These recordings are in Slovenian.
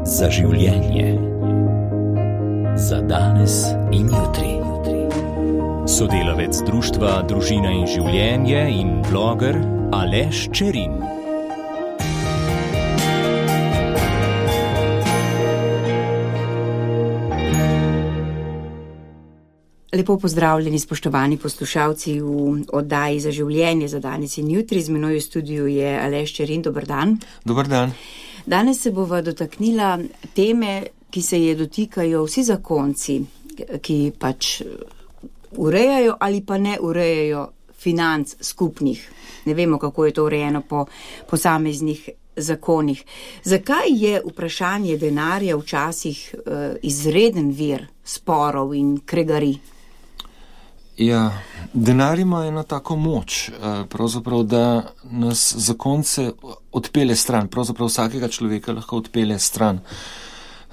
Za življenje. Za danes in jutri. Sodelavec društva Družina in življenje in bloger Aleš Čerin. Lepo pozdravljeni, spoštovani poslušalci v oddaji Za življenje, za danes in jutri. Z menoj v studiu je Aleš Čerin. Dober dan. Dober dan. Danes se bova dotaknila teme, ki se je dotikajo vsi zakonci, ki pač urejajo ali pa ne urejajo financ skupnih. Ne vemo, kako je to urejeno po posameznih zakonih. Zakaj je vprašanje denarja včasih izreden vir sporov in kregarij? Ja, denar ima eno tako moč, pravzaprav, da nas zakonce odpelje stran, pravzaprav vsakega človeka lahko odpelje stran.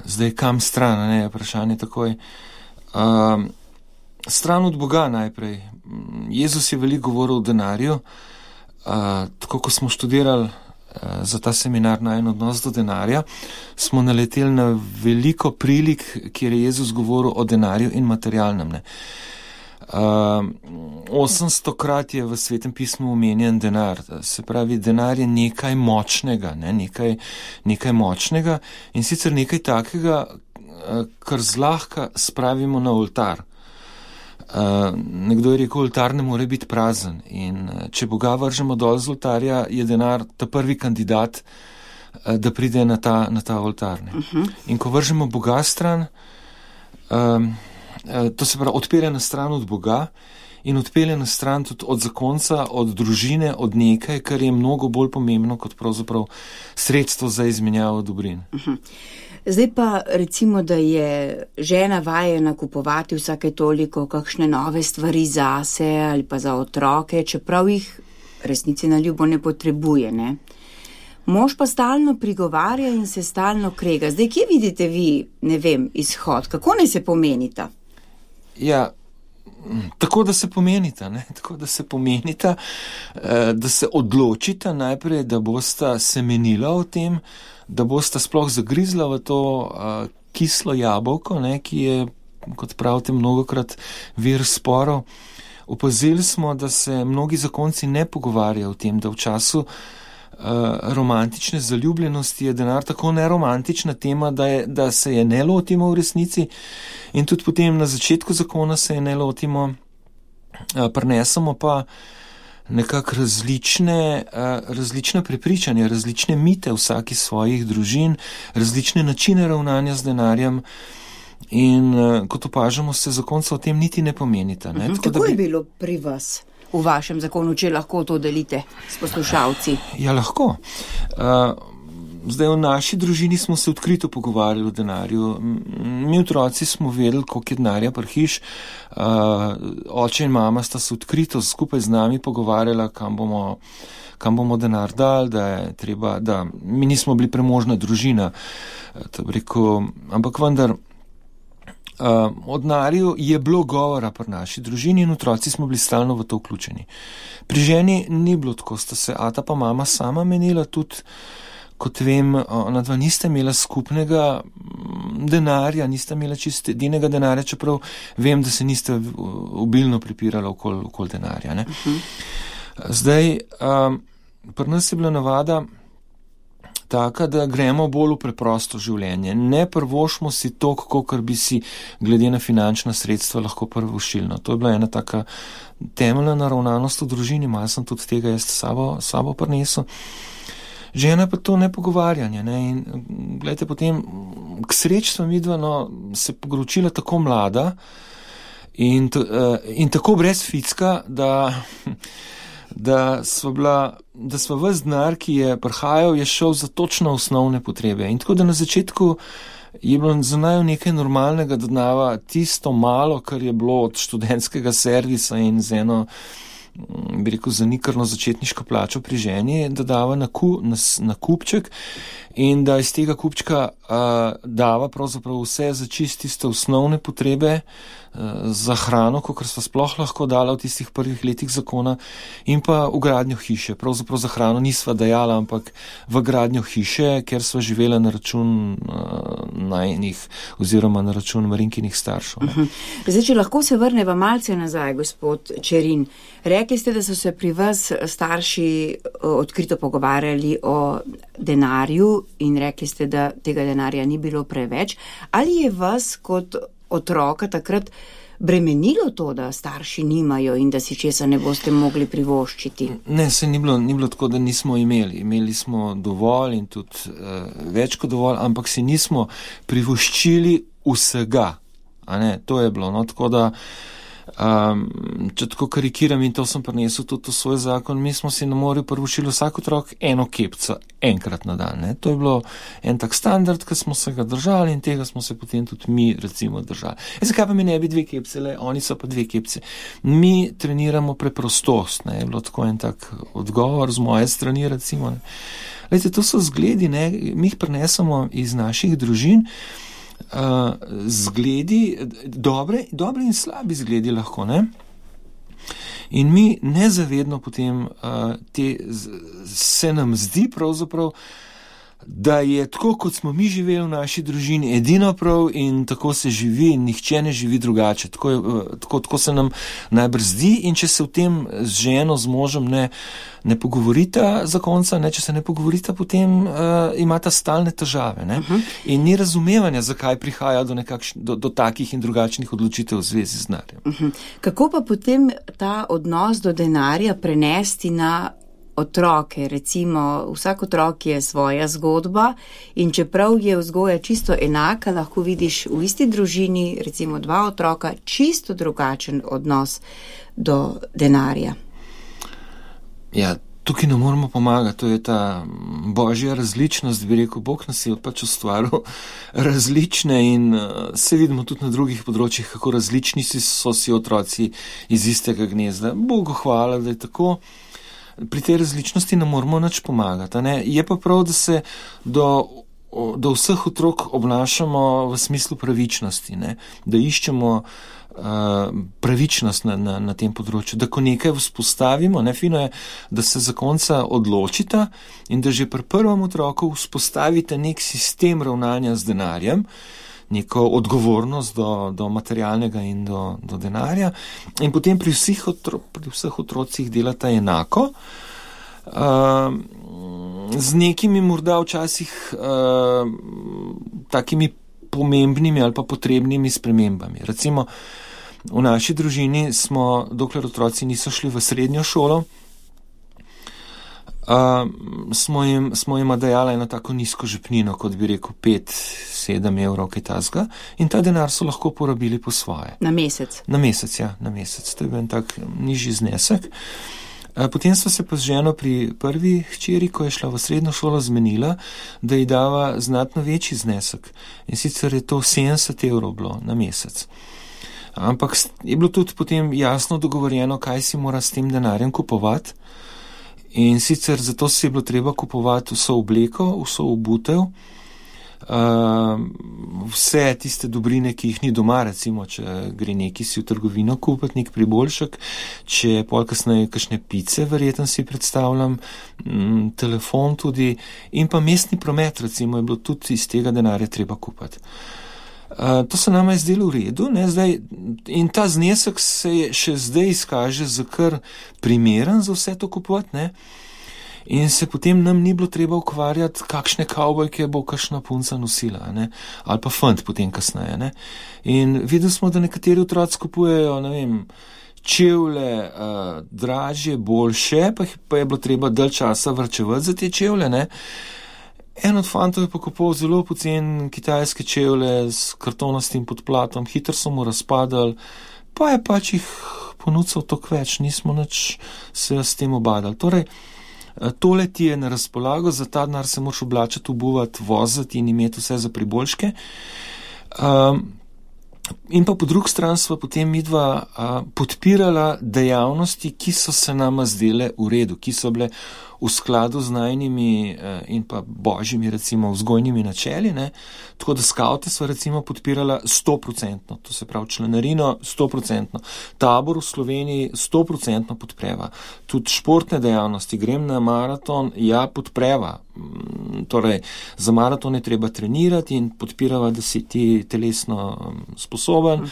Zdaj, kam stran, ne, je vprašanje takoj. Stran od Boga najprej. Jezus je veliko govoril o denarju, tako ko smo študirali za ta seminar na en odnos do denarja, smo naleteli na veliko prilik, kjer je Jezus govoril o denarju in materialnem, ne. 800-krat je v Svetem pismu omenjen denar, se pravi, denar je nekaj močnega, ne? nekaj močnega in sicer nekaj takega, kar zlahka spravimo na oltar. Nekdo je rekel, oltar ne more biti prazen in če Boga vržemo dol z oltarja, je denar ta prvi kandidat, da pride na ta oltar. In ko vržemo Boga stran, to se pravi, odpelje na stran od Boga in odpelje na stran tudi od zakonca, od družine, od nekaj, kar je mnogo bolj pomembno kot pravzaprav sredstvo za izmenjavo dobrin. Zdaj pa recimo, da je žena vajena kupovati vsake toliko kakšne nove stvari zase ali pa za otroke, čeprav jih resnici na ljubo ne potrebuje, ne? Mož pa stalno prigovarja in se stalno krega. Zdaj, kje vidite vi, ne vem, izhod? Kako naj se pomenita? Ja, tako da se pomenita, ne? Tako da se pomenita, da se odločita najprej, da bosta semenila o tem, da bosta sploh zagrizla v to kislo jabolko, ne, ki je, kot pravite, mnogokrat vir sporov. Opazili smo, da se mnogi zakonci ne pogovarjajo o tem, da v času romantične zaljubljenosti je denar tako neromantična tema, da se je ne lotimo v resnici in tudi potem na začetku zakona se je ne lotimo, prinesemo pa nekako različna prepričanja, različne mite vsaki svojih družin, različne načine ravnanja z denarjem in kot opažamo, se zakonca o tem niti ne pomenita. Ne? Kako je bilo pri vas v vašem zakonu, če lahko to delite s poslušalci? Ja, lahko. Zdaj, v naši družini smo se odkrito pogovarjali o denarju. Mi otroci smo vedeli, koliko je denarja prihiš. Oče in mama sta se odkrito skupaj z nami pogovarjala, kam bomo denar dali, da je treba, da mi nismo bili premožna družina. Ampak vendar, o denarju je bilo govora pri naši družini in otroci smo bili stalno v to vključeni. Pri ženi ni bilo tako, sta se ata pa mama sama menila tudi, kot vem, ona dva niste imela skupnega denarja, niste imela čisto edinega denarja, čeprav vem, da se niste obilno pripirala okoli denarja. Ne? Zdaj, pri nas je bila navada taka, da gremo bolj v preprosto življenje. Ne prvošmo si to, kakor bi si glede na finančna sredstva lahko prvošili. No, to je bila ena taka temeljna naravnanost v družini, malo sem tudi tega jaz sabo prinesel. Žena pa to nepogovarjanje, ne, in gledajte, potem k sreči sva midva, se pogoročila tako mlada in tako brez ficka, da sva ves denar, ki je prihajal, je šel za točno osnovne potrebe. In tako da na začetku je bilo za naju nekaj normalnega, da dava tisto malo, kar je bilo od študentskega servisa in z eno, bi rekel, zanikrno začetniško plačo pri ženi, da dava na kupček in da iz tega kupčka dava pravzaprav vse za tiste osnovne potrebe za hrano, kakor sva sploh lahko dala v tistih prvih letih zakona, in pa v gradnjo hiše. Pravzaprav za hrano nisva dajala, ampak v gradnjo hiše, ker sva živela na račun najinih oziroma na račun Marinkinih staršev. Zdaj, če lahko se vrneva malce nazaj, gospod Čerin. Rekli ste, da so se pri vas starši odkrito pogovarjali o denarju in rekli ste, da tega denarja ni bilo preveč. Ali je vas kot otroka takrat bremenilo to, da starši nimajo in da si česa ne boste mogli privoščiti? Ne, se ni bilo tako, da nismo imeli. Imeli smo dovolj in tudi več kot dovolj, ampak si nismo privoščili vsega. A ne, to je bilo. No, tako da če tako karikiram, in to sem prinesel tudi v svoj zakon, mi smo si na morju privoščili vsak otrok eno kepco enkrat na dan. Ne. To je bilo en tak standard, ki smo se ga držali in tega smo se potem tudi mi recimo držali. Zakaj pa mi ne bi 2 kepce, oni so pa 2 kepce. Mi treniramo preprostost, ne. Je bilo tako en tak odgovor z moje strani recimo. Ne. Lejte, to so zgledi, ne. Mi jih prinesemo iz naših družin, zgledi, dobre in slabi zgledi lahko, ne? In mi nezavedno potem se nam zdi pravzaprav, da je tako, kot smo mi živeli v naši družini, edino prav in tako se živi in nihče ne živi drugače. Tako se nam najbrž zdi, in če se v tem z ženo, z možem ne pogovorita zakonca, če se ne pogovorita, potem imata stalne težave. Ne? In ni razumevanja, zakaj prihaja do takih in drugačnih odločitev v zvezi z denarjem. Kako pa potem ta odnos do denarja prenesti na otroke? Recimo, vsak otrok je svoja zgodba in čeprav je vzgoja čisto enaka, lahko vidiš v isti družini, recimo 2 otroka, čisto drugačen odnos do denarja. Ja, tukaj ne moramo pomagati, to je ta božja različnost, bi rekel, Bog nas je pač ustvaril različne in se vidimo tudi na drugih področjih, kako različni so si otroci iz istega gnezda. Bogu hvala, da je tako. Pri tej različnosti ne moramo nič pomagati. Ne? Je pa prav, da se do vseh otrok obnašamo v smislu pravičnosti, ne? Da iščemo pravičnost na tem področju, da ko nekaj vzpostavimo, fino je, da se zakonca odločita in da že pri prvem otroku vzpostavite nek sistem ravnanja z denarjem, neko odgovornost do materialnega in do denarja, in potem pri vseh otrocih delata enako, z nekimi morda včasih takimi pomembnimi ali pa potrebnimi spremembami. Recimo, v naši družini smo, dokler otroci niso šli v srednjo šolo, smo jim dajala eno tako nizko žepnino, kot bi rekel 5-7 evrov, kaj tasga, in ta denar so lahko porabili po svoje. Na mesec? Na mesec, ja, na mesec. To je bil en tak nižji znesek. Potem so se pa z ženo pri prvi hčeri, ko je šla v srednjo šolo, zmenila, da ji dava znatno večji znesek. In sicer je to 70 evrov bilo na mesec. Ampak je bilo tudi potem jasno dogovorjeno, kaj si mora s tem denarjem kupovati. In sicer zato si je bilo treba kupovati vso obleko, vso obutev, vse tiste dobrine, ki jih ni doma, recimo, če gre neki si v trgovino kupiti, nek priboljšek, če pol kasneje kakšne pice, verjetno si predstavljam, telefon tudi, in pa mestni promet, recimo, je bilo tudi iz tega denarja treba kupiti. To se nama je zdelo v redu, ne, zdaj, in ta znesek se je še zdaj izkaže za kar primeren za vse to kupovati, ne, in se potem nam ni bilo treba ukvarjati, kakšne kavbojke bo kakšna punca nosila, ne, ali pa fant potem kasneje, ne. In videli smo, da nekateri otroci kupujejo, ne vem, čevlje dražje, boljše, pa je bilo treba dalj časa varčevati za te čevlje, ne. En od fantov je pa kupoval zelo pocen kitajske čevlje s kartonastim podplatom, hitro so mu razpadali, pa je pač jih ponudil toliko več, nismo nič se s tem obadali. Torej, tole ti je na razpolago, za ta denar se moraš oblačiti, obuvati, voziti in imeti vse za priboljške. In pa po drugi strani sva potem midva podpirala dejavnosti, ki so se nama zdele v redu, ki so bile v skladu z najnimi in pa božjimi, recimo, vzgojnimi načeli, ne. Tako da skavte sva recimo podpirala 100%, to se pravi članarino 100%, tabor v Sloveniji 100% podpreva. Tudi športne dejavnosti, grem na maraton, ja, podpreva. Torej, za maraton je treba trenirati in podpirava, da si ti telesno sposoben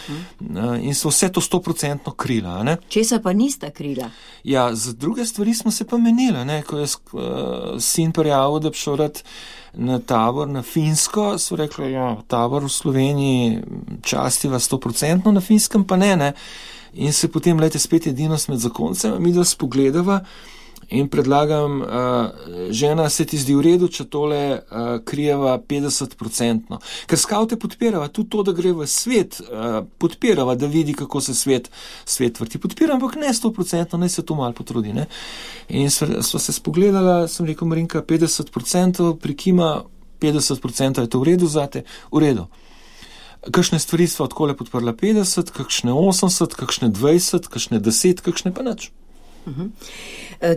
in so vse to 100% krila, ne. Česa pa nista krila? Ja, za druge stvari smo se pa menili, ne, ko je sin prijavil, da bi šel rad na tabor na Finsko, so rekli, ja, tabor v Sloveniji častiva 100%, na Finskem pa ne. In se potem, lejte, spet edinost med zakoncem, mi da spogledava in predlagam, žena, se ti zdi v redu, če tole krijeva 50%. Ker skavte podpirava tudi to, da gre v svet, podpirava, da vidi, kako se svet vrti. Podpiram, ampak ne 100%, naj se to malo potrudi, ne. In sva se spogledala, sem rekel, Marinka, 50%, prikima, 50% je to v redu zate, v redu. Kakšne stvari sva odkole podprla 50, kakšne 80, kakšne 20, kakšne 10, kakšne pa nič.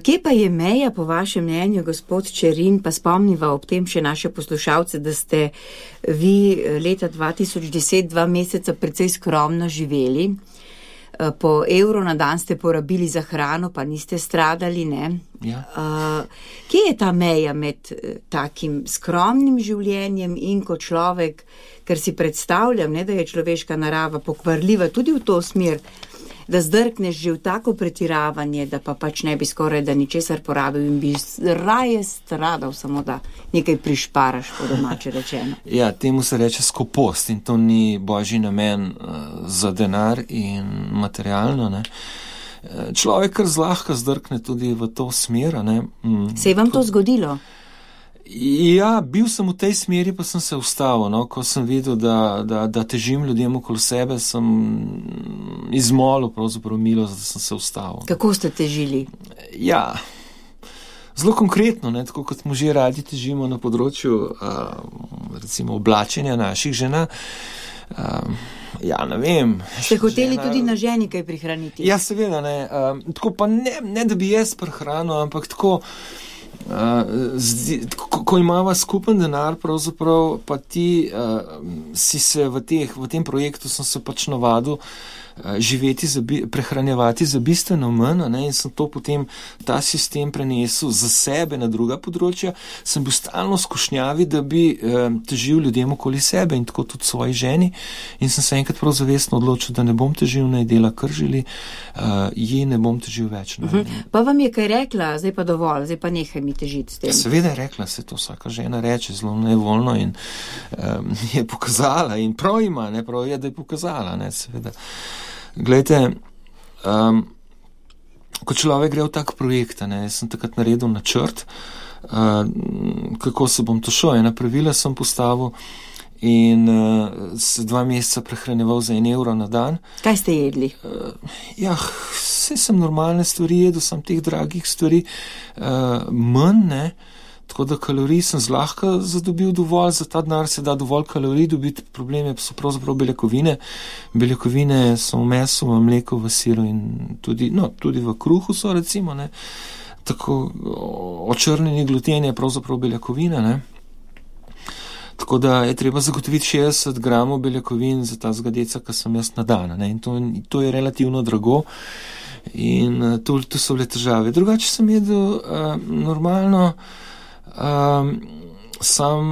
Kje pa je meja, po vašem mnenju, gospod Čerin, pa spomniva ob tem še naše poslušalce, da ste vi leta 2010 2 meseca precej skromno živeli, po evro na dan ste porabili za hrano, pa niste stradali, ne? Ja. Kje je ta meja med takim skromnim življenjem in ko človek, ker si predstavljam, ne, da je človeška narava pokvarljiva tudi v to smer, da zdrkneš že v tako pretiravanje, da pa pač ne bi skoraj da ničesar porabil in bi raje stradal, samo da nekaj prišparaš, po domače rečeno. Ja, temu se reče skopost in to ni božji namen za denar in materialno, ne. Človek kar zlahka zdrkne tudi v to smer, ne. Se je vam to zgodilo? Ja, bil sem v tej smeri, pa sem se ustavil, no, ko sem videl, da težim ljudem okoli sebe, sem izmolil pravzaprav milost, da sem se ustavil. Kako ste težili? Ja, zelo konkretno, ne, tako kot smo že radi težimo na področju recimo oblačenja naših žena. Ja, ne vem. Ste hoteli tudi na ženi kaj prihraniti? Ja, seveda, ne. Tako pa ne da bi jaz prihranil, ampak tako ko imava skupen denar, pravzaprav pa ti si se v tem projektu sem se pač navadil prehranjevati za bistveno manj, ne, in sem to potem ta sistem prenesel za sebe na druga področja, sem bil stalno skušnjavi, da bi težil ljudem okoli sebe in tako tudi svoji ženi in sem se enkrat prav zavestno odločil, da ne bom težil, naj dela kar želi, ji ne bom težil več. Pa vam je kaj rekla, zdaj pa dovolj, zdaj pa nehaj mi težiti s tem? Seveda je rekla, se to vsaka žena reče zelo nevoljno in je pokazala in prav ima, ne, prav je, da je pokazala, ne, seveda. Glejte, ko človek gre v tak projekt, ne, sem takrat naredil načrt, kako se bom to šel, ena pravila sem postavil in se 2 meseca prehranjeval za 1 evro na dan. Kaj ste jedli? Ja, vse sem normalne stvari jedel, sem teh dragih stvari manj, ne. Tako da kalorij sem zlahka zadobil dovolj, za ta denar se da dovolj kalorij dobiti, probleme so pravzaprav beljakovine. Beljakovine so v mesu, v mleku, v siru in tudi v kruhu so recimo, ne. Tako očrnjeni gluten je pravzaprav beljakovina, ne. Tako da je treba zagotoviti 60 gramov beljakovin za ta zgadeca, ki sem jaz na dan, ne. In to je relativno drago in to so bile težave. Drugače sem jedel normalno, sam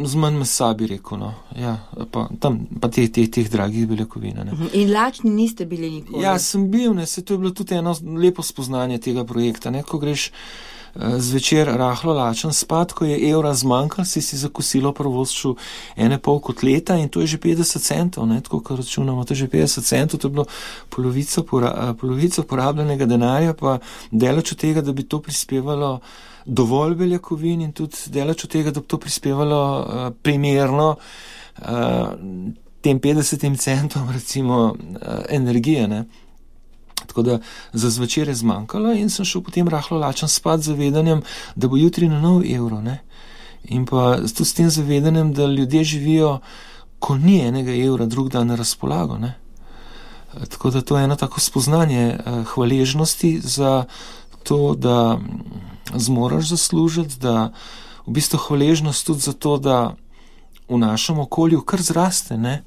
z manj mesa bi rekel, no. Ja, pa teh dragih beljakovin, ne. In lačni niste bili nikoli? Ja, sem bil, ne, se to je bilo tudi eno lepo spoznanje tega projekta, ne, ko greš zvečer rahlo lačen spat, ko je evra zmanjkal, si za kosilo prvoščil 1,5 kotleta in to je že 50 centov, ne, tako ko računamo, to je že 50 centov, to je bilo polovico porabljenega denarja, pa daleč od tega, da bi to prispevalo dovolj beljakovin in tudi daleč od tega, da bi to prispevalo primerno tem 50 centom recimo energije, ne. Tako da za zvečer je zmanjkalo in sem šel potem rahlo lačen spat z zavedanjem, da bo jutri na nov evro, ne. In pa tudi s tem zavedanjem, da ljudje živijo ko ni enega evra drug dan na razpolago, ne. Tako da to je eno tako spoznanje hvaležnosti za to, da zmoraš zaslužiti, da v bistvu hvaležnost tudi za to, da v našem okolju kar zraste, ne,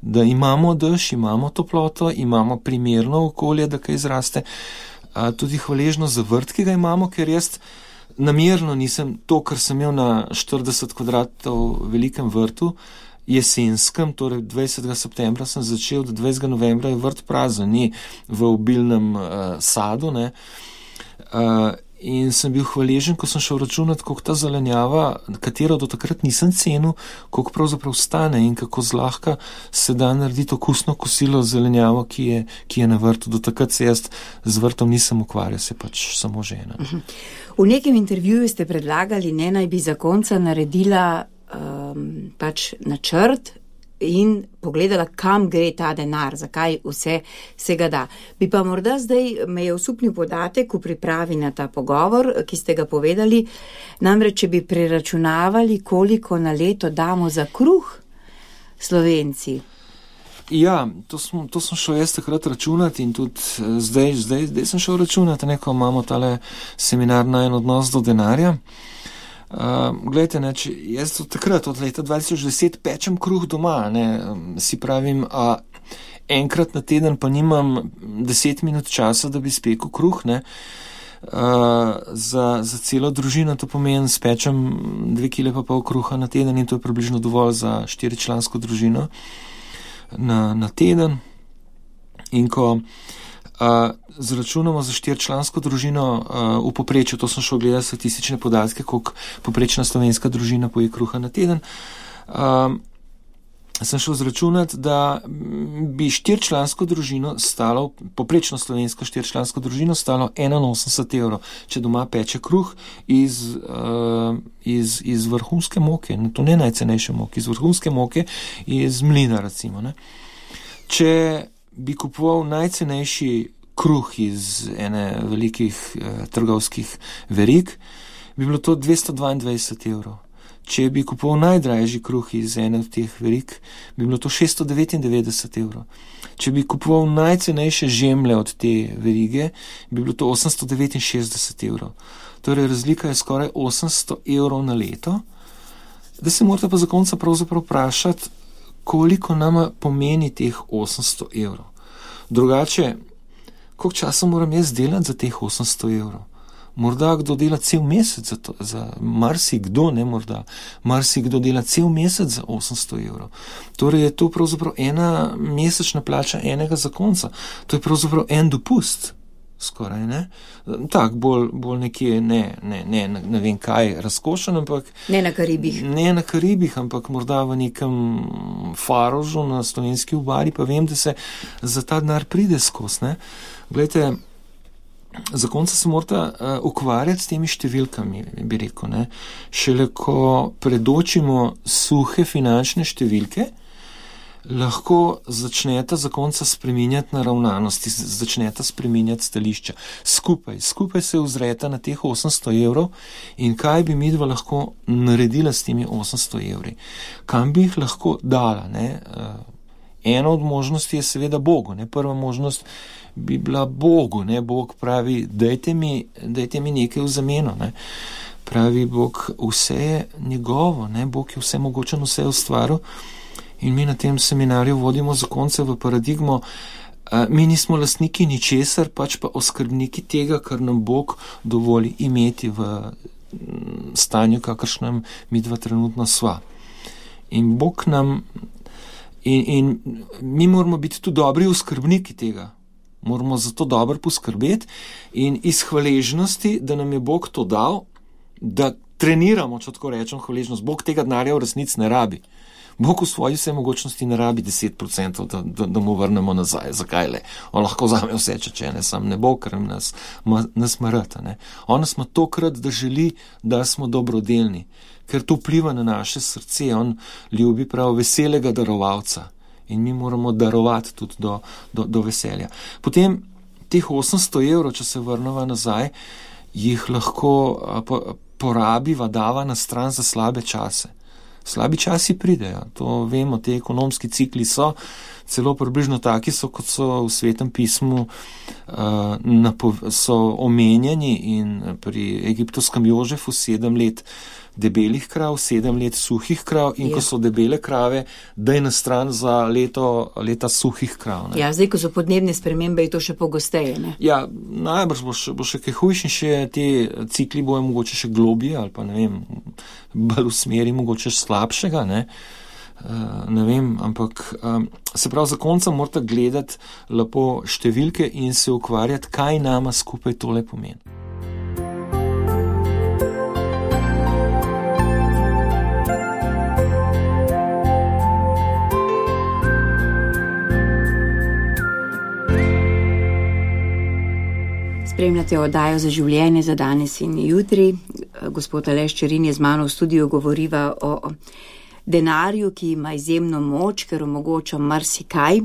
da imamo dež, imamo toploto, imamo primerno okolje, da kaj zraste, tudi hvaležnost za vrt, ki ga imamo, ker jaz namerno nisem to, kar sem imel na 40 kvadratov velikem vrtu, jesenskem, torej 20. septembra sem začel, do 20. novembra je vrt prazen, ni v obilnem sadu, ne. In sem bil hvaležen, ko sem šel računati, koliko ta zelenjava, katero do takrat nisem cenil, koliko pravzaprav stane in kako zlahka se da narediti okusno kosilo zelenjavo, ki je na vrtu. Do takrat se jaz z vrtom nisem ukvarjal, se pač samo žena. V nekem intervjuju ste predlagali, naj bi zakonca naredila pač načrt in pogledala, kam gre ta denar, zakaj vse se ga da. Bi pa morda zdaj me je osupnil podatek v pripravi na ta pogovor, ki ste ga povedali, namreč, če bi preračunavali, koliko na leto damo za kruh Slovenci. Ja, to sem šel jaz takrat računati in tudi zdaj sem šel računati, ko imamo tale seminar na en odnos do denarja. Glejte, ne, če jaz takrat od leta 2010 pečem kruh doma, ne, si pravim, enkrat na teden pa nimam 10 minut časa, da bi spekel kruh, ne, za celo družino to pomeni, spečem 2,5 kg kruha na teden in to je približno dovolj za 4-člansko družino na teden. In ko zračunamo za 4-člansko družino v povprečju, to sem šel gledati statistične podatke, koliko povprečna slovenska družina poje kruha na teden, sem šel zračunati, da bi 4-člansko družino stalo, povprečno slovensko 4-člansko družino stalo 81 evrov, če doma peče kruh iz vrhunske moke, to ne najcenejše moke, iz vrhunske moke, iz mlina recimo, ne. Če bi kupoval najcenejši kruh iz ene velikih trgovskih verig, bi bilo to 222 evrov. Če bi kupoval najdražji kruh iz ene od teh verig, bi bilo to 699 evrov. Če bi kupoval najcenejše žemlje od te verige, bi bilo to 869 evrov. Torej razlika je skoraj 800 evrov na leto, da se morate pa za konca pravzaprav vprašati, koliko nama pomeni teh 800 evrov. Drugače, koliko časa moram jaz delati za teh 800 evrov? Morda kdo dela cel mesec za to, marsikdo, ne morda, marsikdo dela cel mesec za 800 evrov. Torej je to pravzaprav ena mesečna plača enega zakonca. To je pravzaprav en dopust. Skoraj, ne? Tak, bolj nekje, ne vem kaj, razkošen, ampak... Ne na Karibih. Ne na Karibih, ampak morda v nekem Farožu na slovenski obali, pa vem, da se za ta denar pride skozi, ne? Glejte, zakonca se morata ukvarjati s temi številkami, bi rekel, ne? Šele ko predočimo suhe finančne številke, lahko začneta zakonca spreminjati naravnanosti, začneta spreminjati stališča. Skupaj se ozreta na teh 800 evrov in kaj bi midva lahko naredila s temi 800 evri. Kam bi jih lahko dala, ne? Ena od možnosti je seveda Bogu, ne? Prva možnost bi bila Bogu, ne? Bog pravi, dajte mi nekaj v zameno, ne? Pravi Bog, vse je njegovo, ne? Bog je vse mogočen, vse je ustvaril. In mi na tem seminarju vodimo zakonce v paradigmo, mi nismo lastniki ničesar, pač pa oskrbniki tega, kar nam Bog dovoli imeti v stanju, kakršnem mi dva trenutno sva. In Bog nam, in mi moramo biti tudi dobri oskrbniki tega. Moramo za to dobro poskrbeti in iz hvaležnosti, da nam je Bog to dal, da treniramo, če tako rečem, hvaležnost. Bog tega denarja v resnici ne rabi. Bog v svoji vsemogočnosti ne rabi 10%, da mu vrnemo nazaj. Zakaj le? On lahko vzame vse, če ne, sam ne bo, ker nas marata. On nas ima tokrat, da želi, da smo dobrodelni, ker to vpliva na naše srce. On ljubi prav veselega darovalca in mi moramo darovati tudi do veselja. Potem teh 800 evrov, če se vrnemo nazaj, jih lahko porabiva, dava na stran za slabe čase. Slabi časi pridejo, to vemo, te ekonomski cikli so celo približno taki so, kot so v Svetem pismu so omenjeni in pri egiptovskem Jožefu 7 let debelih krav, 7 let suhih krav in ko so debele krave, daj na stran za leta suhih krav. Ne? Ja, zdaj, ko so podnebne spremembe, je to še pogosteje, ne? Ja, najbrž bo še kaj hujši, še te cikli bojo mogoče še globije ali pa ne vem, bolj v smeri mogoče slabšega, ne? Ne vem, ampak se pravi, zakonca morate gledati lepo številke in se ukvarjati, kaj nama skupaj tole pomeni. Spremljate oddajo Za življenje za danes in jutri. Gospod Aleš Čerin je z mano v studiu, govoriva o denarju, ki ima izjemno moč, ker omogoča marsikaj.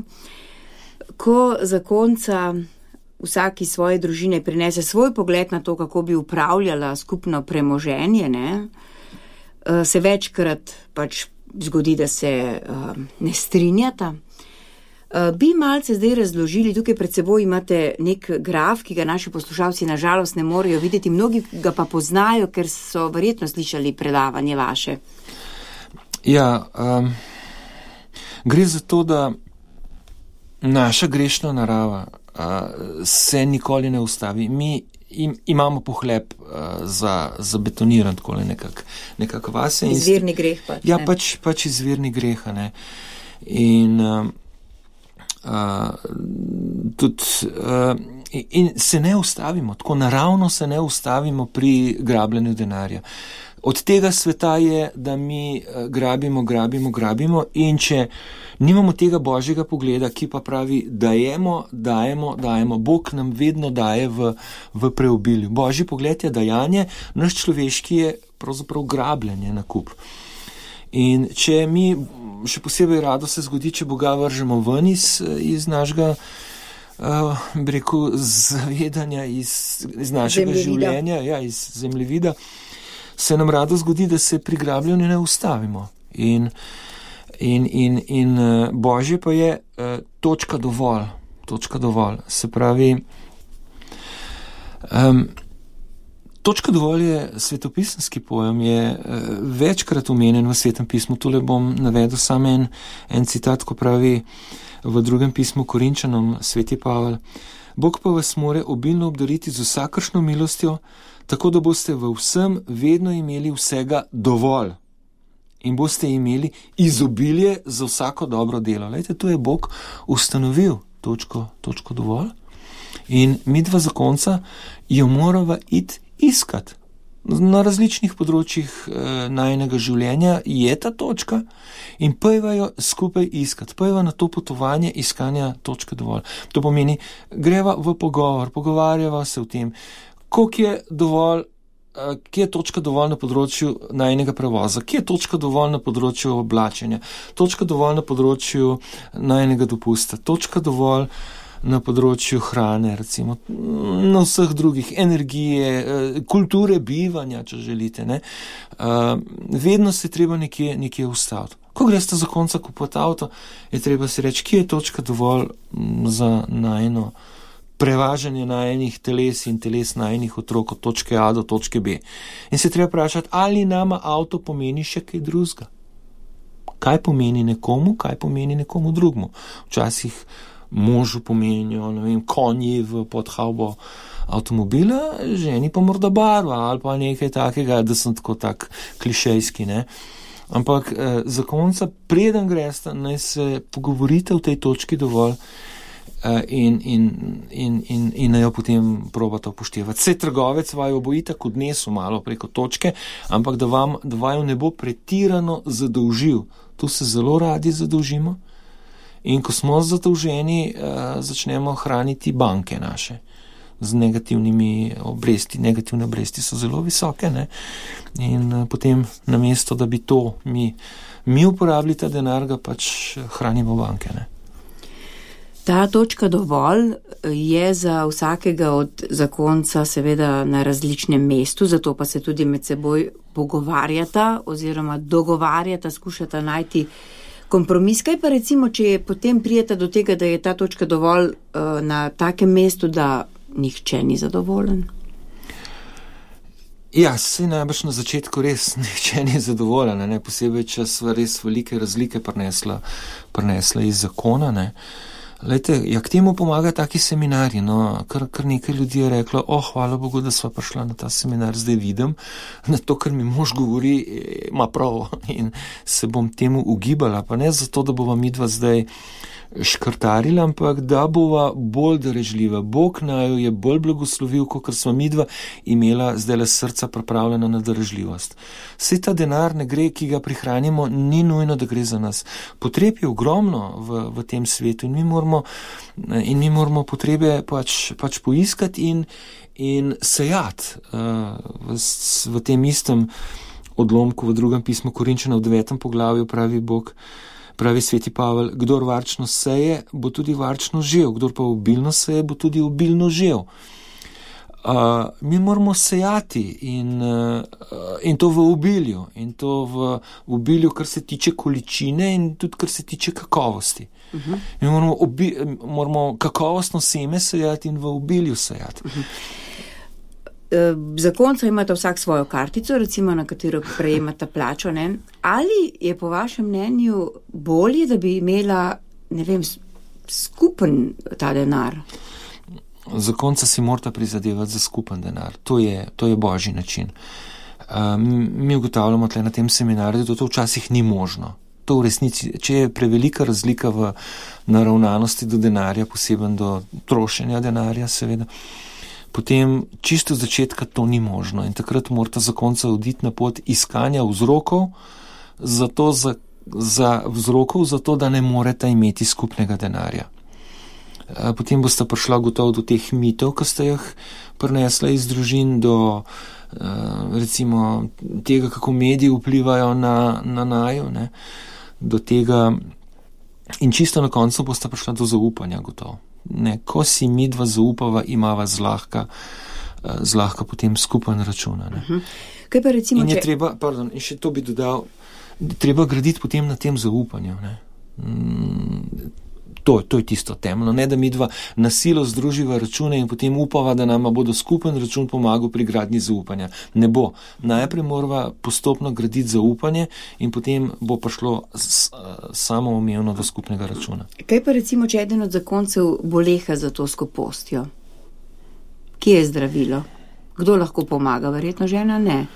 Ko zakonca vsaki svoje družine prinese svoj pogled na to, kako bi upravljala skupno premoženje, ne, se večkrat pač zgodi, da se ne strinjata. Bi malce zdaj razložili, tukaj pred seboj imate nek graf, ki ga naši poslušalci nažalost ne morejo videti, mnogi ga pa poznajo, ker so verjetno slišali predavanje vaše. Ja, gre za to, da naša grešna narava se nikoli ne ustavi. Mi imamo pohlep za betoniran takole nekak vase. Izvirni greh pač. Ja, pač izvirni greha, ne. In in se ne ustavimo, tako naravno se ne ustavimo pri grabljenju denarja. Od tega sveta je, da mi grabimo in če nimamo tega božjega pogleda, ki pa pravi, dajemo, Bog nam vedno daje v preobilju. Božji pogled je dajanje, naš človeški je pravzaprav grabljenje na kup. In če mi, še posebej rado se zgodi, če Boga vržemo ven iz našega, bi rekel, zavedanja, iz našega življenja, ja, iz zemljevida, se nam rado zgodi, da se pri grabljanju ne ustavimo. In Božje pa je točka dovolj. Se pravi, točka dovolj je svetopisemski pojem, je večkrat omenjen v Svetem pismu. Tule bom navedel samo en citat, ko pravi v 2. pismu Korinčanom sveti Pavel: Bog pa vas more obilno obdariti z vsakršno milostjo, tako da boste v vsem vedno imeli vsega dovolj in boste imeli izobilje za vsako dobro delo. Lejte, tu je Bog ustanovil točko dovolj in mi dva zakonca jo morava iti iskati. Na različnih področjih najinega življenja je ta točka in pojva jo skupaj iskati. Pojva na to potovanje iskanja točke dovolj. To pomeni, greva v pogovarjava se o tem, koliko je dovolj, kje je točka dovolj na področju najinega prevoza, kje je točka dovolj na področju oblačenja, točka dovolj na področju najinega dopusta, točka dovolj na področju hrane, recimo, na vseh drugih, energije, kulture bivanja, če želite, ne. Vedno se treba nekje ustaviti. Ko greste za konca kupiti avto, je treba si reči, kje je točka dovolj za najino prevažanje najinih teles in teles najinih otrok od točke A do točke B. In se treba vprašati, ali nama avto pomeni še kaj drugega. Kaj pomeni nekomu drugemu? Včasih možu pomenijo, ne vem, konji v podhavbo avtomobila, ženi pa morda barva ali pa nekaj takega, da sem tak klišejski, ne. Ampak za konca, preden greste, naj se pogovorite v tej točki dovolj in naj jo potem probate upoštevati. Saj trgovec vaju bo itak odnesel malo preko točke, ampak da vaju ne bo pretirano zadolžil. Tu se zelo radi zadolžimo. In ko smo zadolženi, začnemo hraniti banke naše z negativnimi obresti. Negativne obresti so zelo visoke, ne? In potem namesto, da bi to mi uporabili ta denar, ga pač hranimo banke, ne? Ta točka dovolj je za vsakega od zakonca seveda na različnem mestu, zato pa se tudi med seboj pogovarjata oziroma dogovarjata, skušata najti kompromis. Kaj pa recimo, če potem prijeta do tega, da je ta točka dovolj na takem mestu, da nihče ni zadovoljen? Ja, se najbrž na začetku res nihče ni zadovoljen, ne? Posebej, če sva res velike razlike prinesla iz zakona, ne? Lejte, ja, k temu pomaga taki seminarji, no, kar nekaj ljudi je reklo, hvala Bogu, da sva prišla na ta seminar, zdaj vidim, na to, kar mi mož govori, ima prav in se bom temu ugibala, pa ne zato, da bova midva zdaj škrtarila, ampak da bova bolj darežljiva. Bog naju je bolj blagoslovil, kot sva midva imela zdaj le srca pripravljena na darežljivost. Saj ta denar ne gre, ki ga prihranimo, ni nujno, da gre za nas. Potreb je ogromno v tem svetu in mi moramo potrebe pač poiskati in sejati. V tem istem odlomku v 2. pismu Korinčanov v 9. poglavju pravi sveti Pavel, kdor varčno seje, bo tudi varčno žel, kdor pa obilno seje, bo tudi obilno žel. Mi moramo sejati in to v obilju, in to v obilju, kar se tiče količine in tudi kar se tiče kakovosti. Mi moramo kakovostno seme sejati in v obilju sejati. Zakonca imata vsak svojo kartico, recimo na katero prejemata plačo, ne? Ali je po vašem mnenju bolje, da bi imela, ne vem, skupen ta denar? Zakonca si morata prizadevati za skupen denar. To je božji način. Mi ugotavljamo tle na tem seminarju, da to včasih ni možno. To v resnici, če je prevelika razlika v naravnanosti do denarja, poseben do trošenja denarja, seveda, potem čisto od začetka to ni možno in takrat morata zakonca oditi na pot iskanja vzrokov, zato da ne moreta imeti skupnega denarja. Potem boste prišla gotovo do teh mitov, ki ste jih prinesla iz družin, do recimo tega, kako mediji vplivajo na naju, ne, do tega in čisto na koncu boste prišla do zaupanja gotovo. Ne, ko si midva zaupava, imava zlahka potem skupen račun. Kaj pa recimo, in je treba, in še to bi dodal, treba graditi potem na tem zaupanju. Ne. To je tisto temeljno, ne da midva na silo združiva račune in potem upava, da nama bodo skupen račun pomagal pri gradnji zaupanja. Ne bo. Najprej morava postopno graditi zaupanje in potem bo prišlo samoumevno do skupnega računa. Kaj pa recimo, če eden od zakoncev boleha za to skopostjo? Kje je zdravilo? Kdo lahko pomaga? Verjetno žena ne.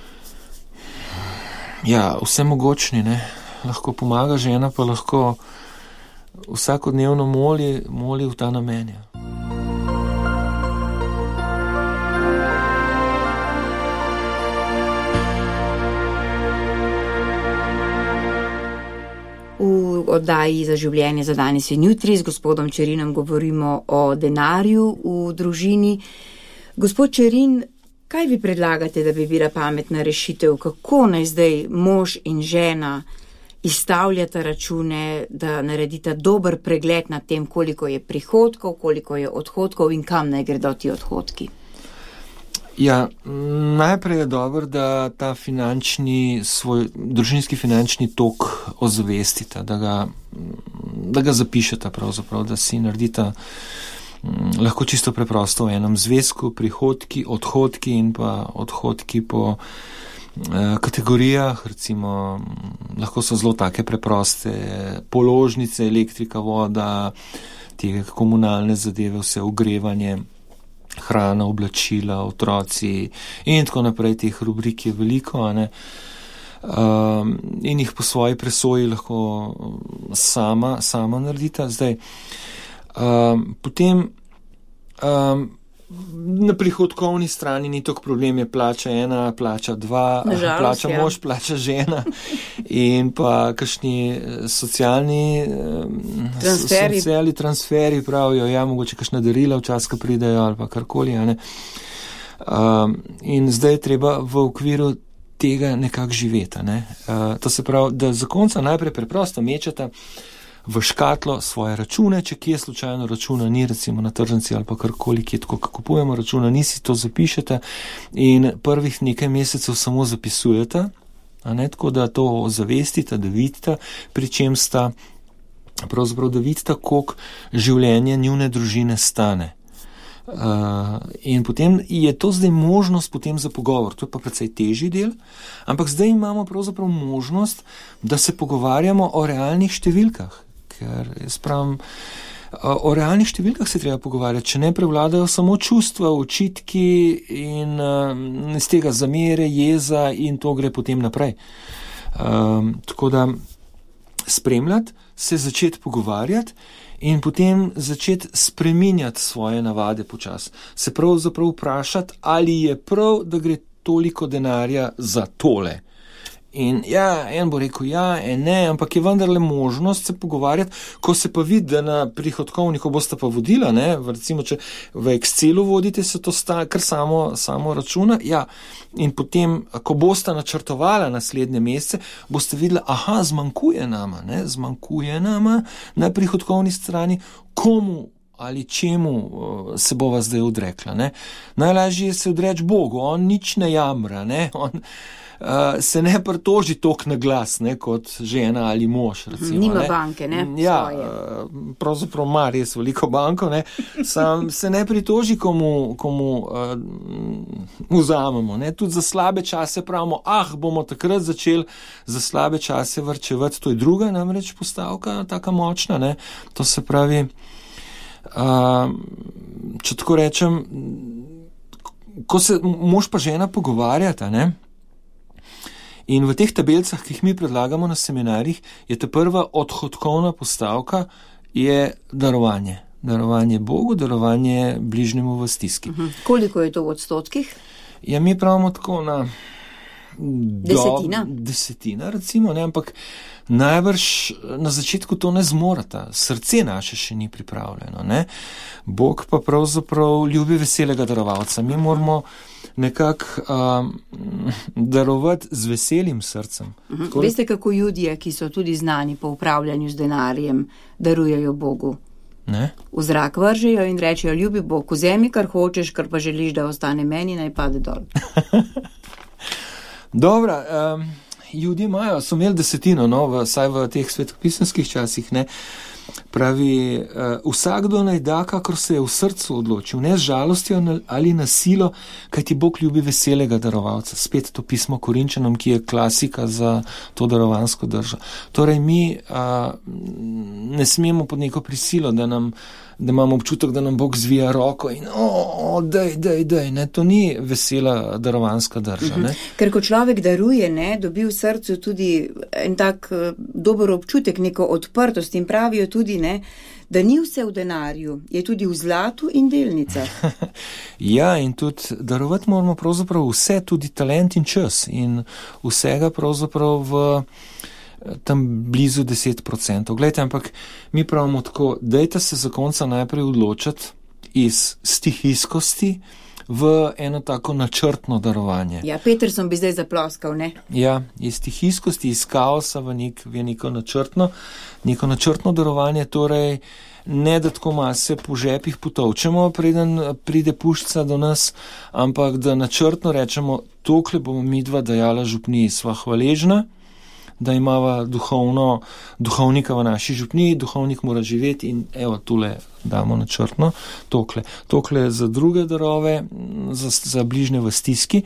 Ja, vse mogočni, ne. Lahko pomaga žena, pa lahko vsakodnevno moli v ta namen. V oddaji Za življenje za danes in jutri z gospodom Čerinom govorimo o denarju v družini. Gospod Čerin, kaj vi predlagate, da bi bila pametna rešitev? Kako naj zdaj mož in žena izstavljata račune, da naredita dober pregled nad tem, koliko je prihodkov, koliko je odhodkov in kam naj gredo ti odhodki? Ja, najprej je dobro, da ta svoj družinski finančni tok ozavestita, da ga zapišeta pravzaprav, da si naredita lahko čisto preprosto v enem zvezku prihodki, odhodki in pa odhodki po kategorijah, recimo lahko so zelo take preproste položnice, elektrika, voda, te komunalne zadeve, vse ogrevanje, hrana, oblačila, otroci in tako naprej. Teh rubrik je veliko, a ne? In jih po svoji presoji lahko sama naredita. Zdaj, potem na prihodkovni strani ni toliko problem, je plača 1, plača 2, plača mož, plača žena in pa kakšni socialni transferi pravijo, ja, mogoče kakšna darila včasih pridejo ali pa karkoli, a ne. In zdaj je treba v okviru tega nekako živeti, ne. To se pravi, da zakonca najprej preprosto mečeta v škatlo svoje račune, če kje slučajno računa ni, recimo na tržnici ali pa karkoli, kje tako kupujemo računa, nisi to zapišete in prvih nekaj mesecev samo zapisujete, a ne, tako da to zavestite, da vidite, pri čem sta, pravzaprav da vidite, koliko življenje njune družine stane. In potem je to zdaj možnost potem za pogovor, to je pa precej težji del, ampak zdaj imamo pravzaprav možnost, da se pogovarjamo o realnih številkah, ker jaz pravim, o realnih številkah se treba pogovarjati, če ne prevladajo samo čustva, očitki in iz tega zamere, jeza in to gre potem naprej. Tako da spremljati, se začeti pogovarjati in potem začeti spreminjati svoje navade počas. Se pravzaprav vprašati, ali je prav, da gre toliko denarja za tole. In ja, en bo rekel ja, en ne, ampak je vendarle možnost se pogovarjati, ko se pa vidi, da na prihodkovniku boste pa vodila, ne, recimo, če v Excelu vodite, se to kar samo računa, ja, in potem, ko boste načrtovala naslednje mesece, boste videla, aha, zmanjkuje nama na prihodkovni strani, komu ali čemu se bova zdaj odrekla, ne. Najlažje je se odreči Bogu, on nič ne jamra, ne, on se ne pritoži toliko na glas, ne, kot žena ali mož, recimo. Nima banke, ne? Ja, pravzaprav ima res veliko banko, ne. Sam se ne pritoži, komu vzamemo, ne. Tudi za slabe čase pravimo, bomo takrat začeli za slabe čase varčevati, to je druga namreč postavka, taka močna, ne. To se pravi, če tako rečem, ko se mož pa žena pogovarjata, ne. In v teh tabelcah, ki jih mi predlagamo na seminarjih, je ta prva odhodkovna postavka je darovanje. Darovanje Bogu, darovanje bližnjemu v stiski. Koliko je to v odstotkih? Ja, mi pravimo tako na desetina, recimo, ne, ampak najbrž na začetku to ne zmorata. Srce naše še ni pripravljeno, ne. Bog pa pravzaprav ljubi veselega darovalca. Mi moramo nekako darovati z veselim srcem. Veste, kako Judje, ki so tudi znani po upravljanju z denarjem, darujejo Bogu? Ne? V zrak vržejo in rečejo, ljubi Bog, vzemi, kar hočeš, kar pa želiš, da ostane meni, naj pade dol. Dobro, Judje so imeli desetino, no, vsaj v teh svetopisemskih časih, ne. Pravi, vsakdo naj da, kakor se je v srcu odločil, ne z žalostjo ali na silo, kajti Bog ljubi veselega darovalca. Spet to pismo Korinčanom, ki je klasika za to darovansko držo. Torej, mi ne smemo pod neko prisilo, da imamo občutek, da nam Bog zvija roko in daj, ne, to ni vesela darovanska drža, ne. Ker ko človek daruje, ne, dobi v srcu tudi en tak dober občutek, neko odprtost in pravijo tudi, ne, da ni vse v denarju, je tudi v zlatu in delnicah. Ja, in tudi darovati moramo pravzaprav vse, tudi talent in čas in vsega pravzaprav v tam blizu 10%. Glejte, ampak mi pravimo tako, dajte se za konca najprej odločiti iz stihijskosti v eno tako načrtno darovanje. Ja, Peterson bi zdaj zaploskal, ne? Ja, iz stihijskosti, iz kaosa v neko načrtno darovanje, torej ne da tako mase po žepih potovčemo, preden pride puščica do nas, ampak da načrtno rečemo, tokle bomo midva dajala župniji, sva hvaležna, da imava duhovnika v naši župniji, duhovnik mora živeti in evo, tule damo načrtno, tokle za druge darove, za bližnje v stiski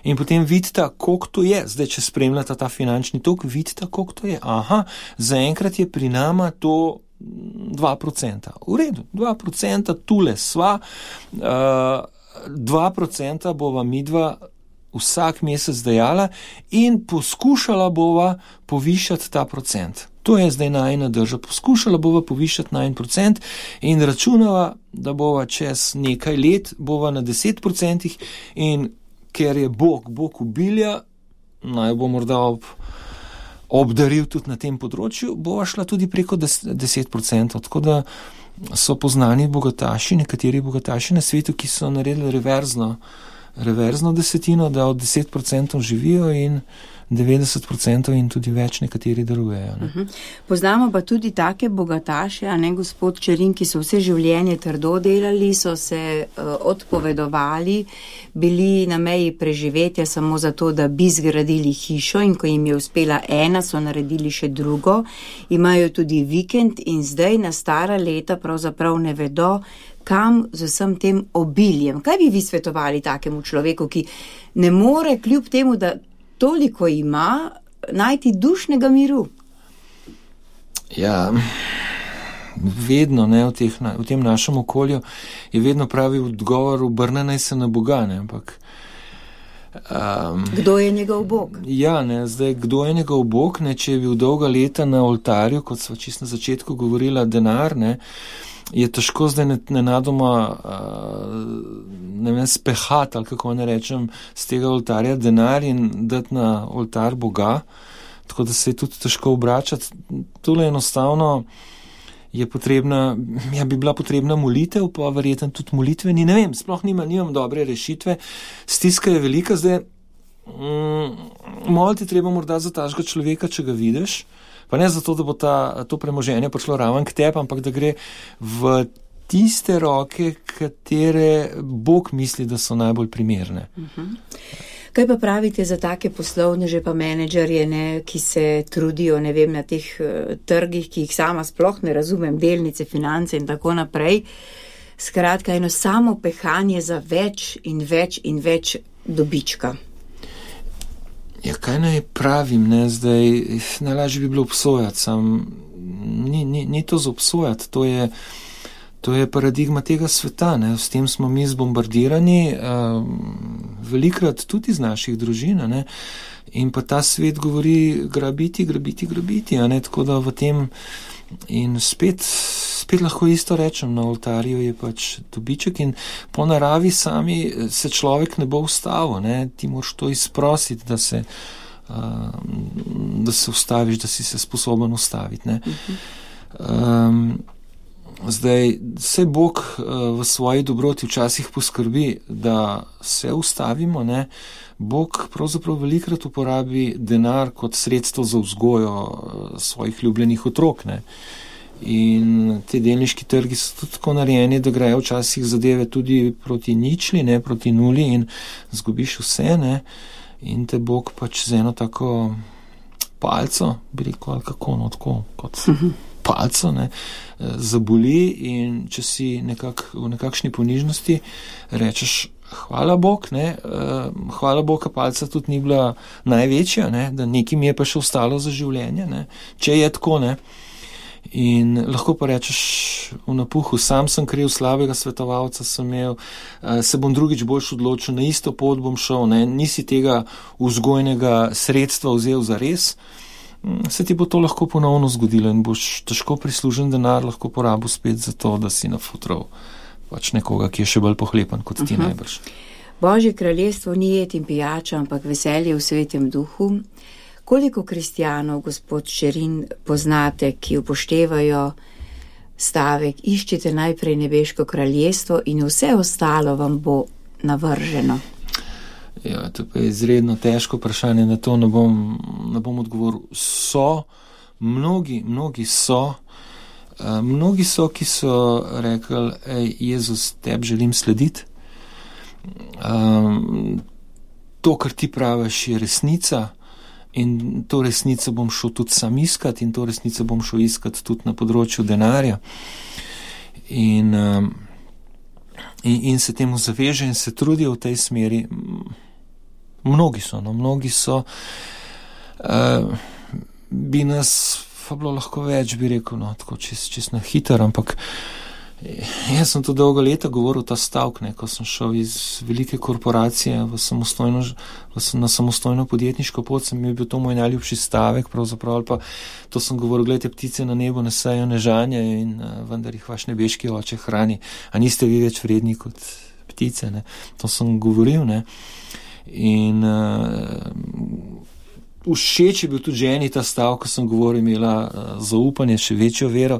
in potem vidite, koliko to je. Zdaj, če spremljate ta finančni tok, vidite, koliko to je. Aha, zaenkrat je pri nama to 2%. V redu, 2% tule sva, 2% bova midva vsak mesec dajala in poskušala bova povišati ta procent. To je zdaj najina drža. Poskušala bova povišati 9% in računala, da bova čez nekaj let bova na 10% in ker je Bog obilja, naj bo morda obdaril tudi na tem področju, bova šla tudi preko 10%. Tako da so poznani bogataši, nekateri bogataši na svetu, ki so naredili reverzno desetino, da od 10% živijo in 90% in tudi več nekateri darujejo. Ne. Poznamo pa tudi take bogataše, a ne gospod Čerin, ki so vse življenje trdo delali, so se odpovedovali, bili na meji preživetja samo zato, da bi zgradili hišo, in ko jim je uspela ena, so naredili še drugo. Imajo tudi vikend in zdaj na stara leta pravzaprav ne vedo, kam z vsem tem obiljem. Kaj bi vi svetovali takemu človeku, ki ne more kljub temu, da toliko ima, najti dušnega miru? Ja, vedno, ne, v tem našem okolju je vedno pravi odgovor, obrne naj se na Boga, ne, ampak kdo je njegov Bog? Ja, ne, zdaj, kdo je njegov Bog, ne, če je bil dolga leta na oltarju, kot sva čisto na začetku govorila, denar, ne, je težko zdaj nenadoma spehati, ali kako ne rečem, z tega oltarja denar in dati na oltar Boga, tako da se je tudi težko obračati. Tole enostavno je potrebna, bi bila potrebna molitev, pa verjetno tudi molitveni, ne vem, sploh nimam dobre rešitve, stiska je velika, zdaj moliti treba morda za takega človeka, če ga vidiš, pa ne zato, da bo to premoženje prišlo raven k tebi, ampak da gre v tiste roke, katere Bog misli, da so najbolj primerne. Kaj pa pravite za take poslovneže pa menedžerje, ne, ki se trudijo, ne vem, na teh trgih, ki jih sama sploh ne razumem, delnice, finance in tako naprej. Skratka, eno samo pehanje za več in več in več dobička. Ja, kaj naj pravim, ne, zdaj, najlažje bi bilo obsojati, ni to za obsojati, to je paradigma tega sveta, ne, s tem smo mi zbombardirani, velikrat tudi iz naših družin, ne, in pa ta svet govori grabiti, a ne, tako da v tem in spet lahko isto rečem, na oltarju je pač dobiček in po naravi sami se človek ne bo ustavil, ne, ti moraš to izprositi, da se ustaviš, da si se sposoben ustaviti, ne. Zdaj, vse Bog v svoji dobroti včasih poskrbi, da se ustavimo, ne. Bog pravzaprav velikrat uporabi denar kot sredstvo za vzgojo svojih ljubljenih otrok, ne. In te delniški trgi so tudi tako narejeni, da grejo včasih zadeve tudi proti ničli, ne, proti nuli in zgubiš vse, ne. In te Bog pač z eno tako palco, bi rekel, ali kako, no, tako, kot palco, ne, zaboli in če si v nekakšni ponižnosti rečeš hvala Bog, ne, hvala Bog, a palca tudi ni bila največja, ne, da nekaj mi je pa še ostalo za življenje, ne, če je tako, ne. In lahko pa rečeš v napuhu, sam sem kriv, slabega svetovalca sem imel, se bom drugič boljš odločil, na isto pot bom šel, ne, nisi tega vzgojnega sredstva vzel za res, se ti bo to lahko ponovno zgodilo in boš težko prislužen denar lahko porabil spet za to, da si nafutral pač nekoga, ki je še bolj pohlepan kot ti najbrž. Božje kraljestvo ni jed in pijača, ampak veselje v svetem duhu. Koliko kristjanov, gospod Čerin, poznate, ki upoštevajo stavek, iščite najprej nebeško kraljestvo in vse ostalo vam bo navrženo? Ja, to pa je izredno težko vprašanje, na to ne bom odgovoril. Mnogi so, ki so rekli, Jezus, tebi želim slediti. To, kar ti praviš, je resnica. In to resnico bom šel tudi sam iskati in to resnico bom šel iskati tudi na področju denarja. In se temu zaveže in se trudijo v tej smeri. Mnogi so. Bi nas pa bilo lahko več, bi rekel, no, tako čist na hiter, ampak jaz sem to dolgo leta govoril ta stavek, ne, ko sem šel iz velike korporacije na samostojno podjetniško pot, sem bil to moj najljubši stavek, pravzaprav, ali pa to sem govoril, gledajte, ptice na nebu ne sejo, ne žanje in vendar jih vaš nebeški oče hrani, a niste vi več vredni kot ptice, ne, to sem govoril, ne, in všeč je bil tudi ženi ta stavek, ko sem govoril, imela zaupanje, še večjo vero,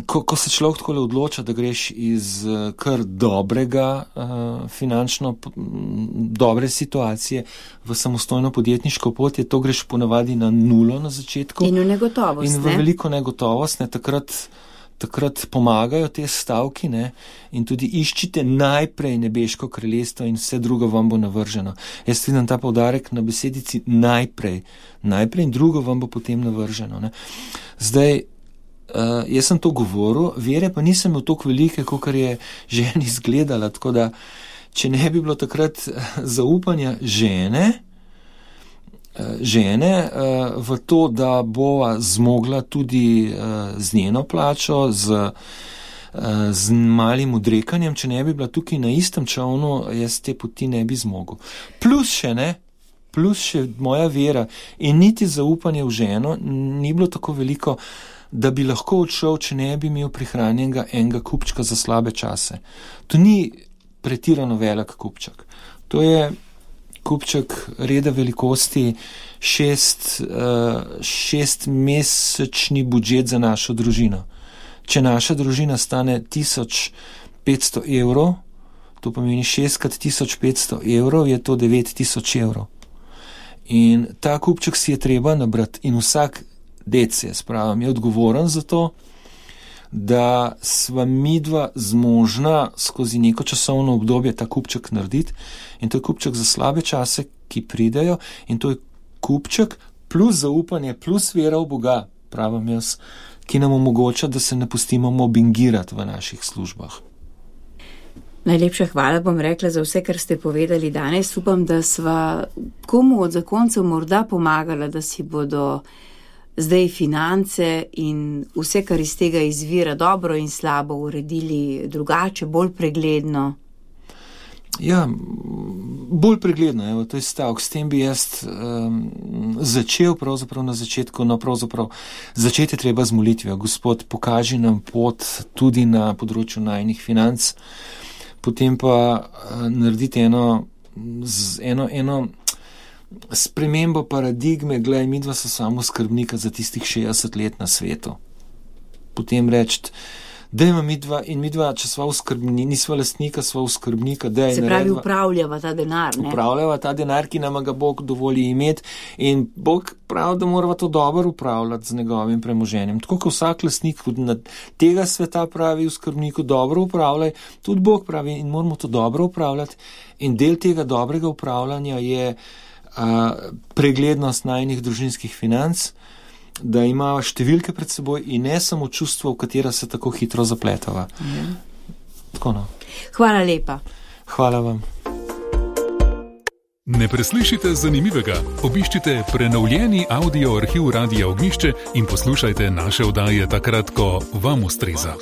ko se človek tako odloča, da greš iz kar dobrega, finančno dobre situacije v samostojno podjetniško pot, to greš ponavadi na nulo na začetku. In v negotovost, in v veliko negotovost, takrat pomagajo te stavki, ne, in tudi iščite najprej nebeško kraljestvo in vse drugo vam bo navrženo. Jaz vidim ta poudarek na besedici najprej in drugo vam bo potem navrženo, ne. Zdaj, jaz sem to govoril, vere pa nisem imel toliko velike, kakor je ženi izgledala, tako da, če ne bi bilo takrat zaupanja žene v to, da bova zmogla tudi z njeno plačo, z malim odrekanjem, če ne bi bila tukaj na istem čovnu, jaz te poti ne bi zmogel. Plus še moja vera in niti zaupanje v ženo ni bilo tako veliko, da bi lahko odšel, če ne bi imel prihranjenega enega kupčka za slabe čase. To ni pretirano velik kupček. To je kupček reda velikosti 6-mesečni budžet za našo družino. Če naša družina stane 1500 evrov, to pomeni 6x1500 evrov, je to 9000 evrov. In ta kupček si je treba nabrati in vsak dec, jaz pravim, je odgovoren za to, da sva midva zmožna skozi neko časovno obdobje ta kupček narediti in to je kupček za slabe čase, ki pridejo in to je kupček plus zaupanje, plus vera v Boga, pravim jaz, ki nam omogoča, da se ne pustimo mobbingirati v naših službah. Najlepša hvala, bom rekla, za vse, kar ste povedali danes. Upam, da sva komu od zakoncev morda pomagala, da si bodo zdaj finance in vse, kar iz tega izvira, dobro in slabo uredili drugače, bolj pregledno. Ja, bolj pregledno, evo, to je stavek. S tem bi jaz začel pravzaprav na začetku, začeti je treba z molitvijo. Gospod, pokaži nam pot tudi na področju najnih financ, potem pa narediti eno spremembo paradigme, gledaj, midva so samo skrbnika za tistih 60 let na svetu. Potem reči, dajmo midva, če sva v skrbni, nisva lastnika, sva v skrbnika, daj. Se pravi, upravljava ta denar, ne? Upravljava ta denar, ki nama ga Bog dovoli imeti in Bog pravi, da morava to dobro upravljati z njegovim premoženjem. Tako kot vsak lastnik tega sveta pravi v skrbniku, dobro upravljaj, tudi Bog pravi in moramo to dobro upravljati in del tega dobrega upravljanja je preglednost najnih družinskih financ, da ima številke pred seboj in ne samo čustvo, v katera se tako hitro zapletava. Tako no. Hvala lepa. Hvala vam. Ne preslišite zanimivega. Obiščite prenovljeni audio arhiv Radia Ognjišče in poslušajte naše oddaje takrat, ko vam ustreza.